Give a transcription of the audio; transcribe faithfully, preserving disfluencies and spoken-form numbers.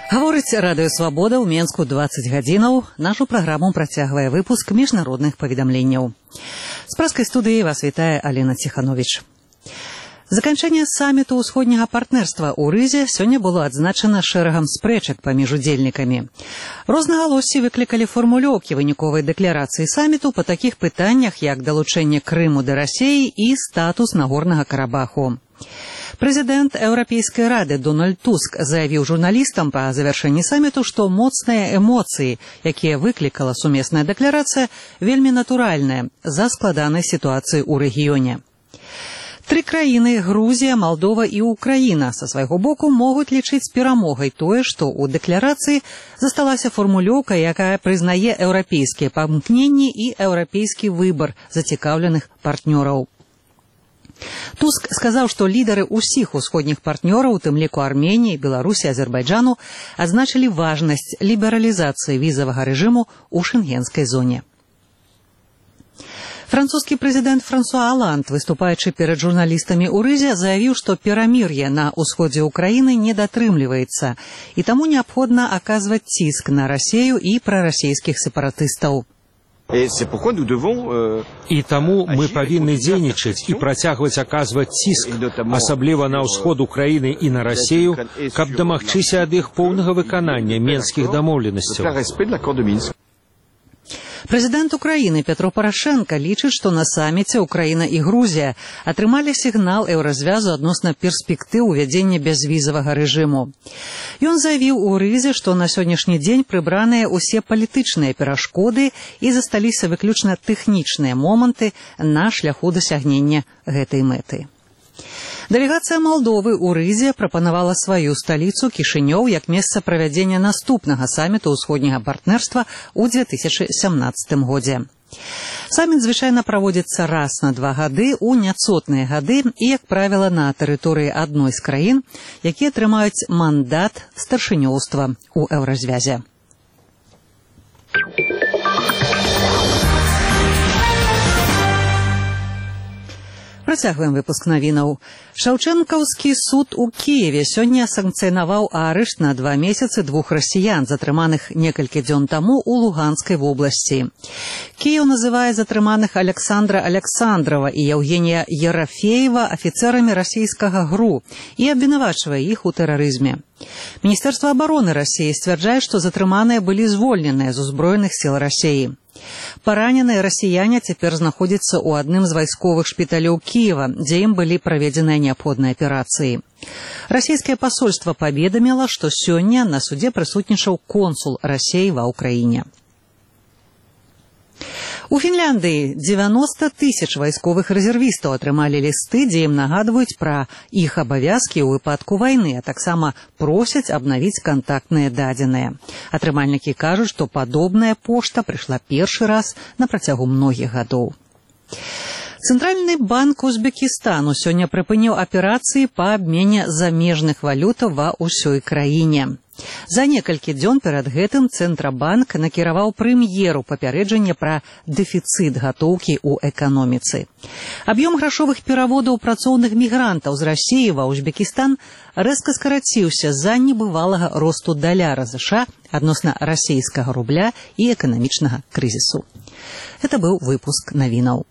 Гаворыць Радыё Свабода ў Менску дваццаць гадзінаў. Нашу праграму працягвае выпуск міжнародных паведамленняў. З праскай студыі вас вітае Алена Ціхановіч. Заканчэнне саміту ўсходняга партнерства ў Рызе сёння было адзначана шэрагам спрэчак паміж удзельнікамі. Рознагалоссі выклікалі фармулёўкі выніковай дэкларацыі саміту па такіх пытаннях, як далучэнне Крыму да Расіі і статус Нагорнага Карабаху. Прэзідэнт Еўрапейскай рады Дональд Туск заявіў журналістам па завяршэнні саміту, што моцныя эмоцыі, якія выклікала сумесная дэкларацыя, вельмі натуральныя з-за складанай сітуацыі ў рэгіёне. Тры краіны – Грузія, Малдова і Украіна – са свайго боку могуць лічыць перамогай тое, што ў дэкларацыі засталася фармулёўка, якая прызнае еўрапейскія памкненні і еўрапейскі выбар зацікаўленых партнёраў. Туск сказаў, што лідары ўсіх усходніх партнёраў, у тым ліку Арменіі, Беларусі, Азербайджану, адзначылі важнасць лібералізацыі візавага рэжыму ў шэнгенскай зоне. Французскі прэзідэнт Франсуа Аланд, выступаючы перад журналістамі ў Рызе, заявіў, што перамір'е на ўсходзе ўкраіны не датрымліваецца, і таму неабходна аказваць ціск на Расію і прарасійскіх сепаратыстаў. І таму мы павінны дзейнічаць і працягваць аказваць ціск, асабліва на ўсход Украіны і на Расію, каб дамагчыся ад іх поўнага выканання менскіх дамоўленасцяў. Прэзідэнт Украіны Пятро Парашенка лічыць, што на саміце Украіна і Грузія атрымалі сігнал еўразвязу адносна перспектыў увядзення бязвізавага рэжыму. Ён заявіў у Рызе, што на сённяшні дзень прыбраныя ўсе палітычныя перашкоды і засталіся выключна тэхнічныя моманты на шляху дасягнення гэтай мэты. Дэлегацыя Малдовы ў Рызе прапанавала сваю сталіцу Кішынёў як месца правядзення наступнага саміту ўсходняга партнерства ў дзве тысячы сямнаццатым годзе. Саміт звычайна праводзіцца раз на два гады ў няцотныя гады і, як правіла, на тэрыторыі адной з краін, якія атрымаюць мандат старшынёўства ў еўразвязе. Працягваем выпуск навінаў. Шаўчэнкаўскі суд у Кіеве сёння санкцыянаваў арышт на два месяцы двух расіян, затрыманых некалькі дзён таму ў Луганскай вобласці. Кіеў называе затрыманых Александра Александрова і Евгения Ерафеева афіцэрамі расійскага ГРУ і абвінавачвае іх у тэрарызме. Міністэрства абароны Расіі сцвярджае, што затрыманыя былі звольненыя з узброеных сіл Расіі. Параненыя расіяне цяпер знаходзяцца ў адным з вайсковых шпіталёў Кіева, дзе ім былі праведзеныя неабходныя аперацыі. Расійскае пасольства паведаміла, што сёння на судзе прысутнічаў консул Расіі ва ўкраіне. У Фінляндыі дзевяноста тысяч вайсковых рэзервістаў атрымалі лісты, дзе ім нагадваюць пра іх абавязкі ў выпадку вайны, а таксама просяць абнавіць кантактныя дадзеныя. Атрымальнікі кажуць, што падобная пошта прыйшла першы раз на працягу многіх гадоў. Цэнтральны банк Узбекістану сёння прыпыніў аперацыі па абмене замежных валютаў ва ўсёй краіне. За некалькі дзён перад гэтым Цэнтрабанк накіраваў прэм'еру папярэджанне пра дэфіцыт гатоўкі ў эканоміцы. Аб'ём грашовых пераводаў працоўных мігрантаў з Расіі ва Узбекістан рэзка скараціўся з-за небывалага росту даляра ЗША адносна расійскага рубля і эканамічнага крызісу. Гэта быў выпуск навінаў.